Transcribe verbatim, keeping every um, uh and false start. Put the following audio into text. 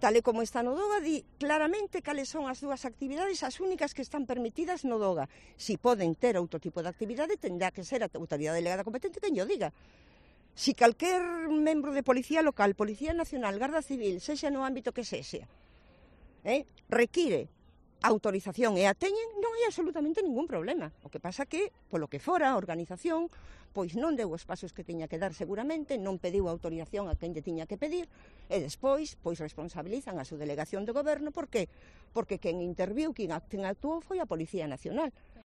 tal e como está no DOGA, di claramente cales son as dúas actividades as únicas que están permitidas no DOGA. Si poden ter outro tipo de actividade, tendrá que ser a autoridade delegada competente quen llo diga. Si calquer membro de Policía Local, Policía Nacional, Garda Civil, sexa no ámbito que sexa, eh, require autorización e a teñen, non hai absolutamente ningún problema. O que pasa que, polo que fora, a organización pois non deu os pasos que tiña que dar seguramente, non pediu autorización a quen lle tiña que pedir, e despois pois responsabilizan a súa delegación de goberno. Por que? Porque quen interviu, quen actuou foi a Policía Nacional.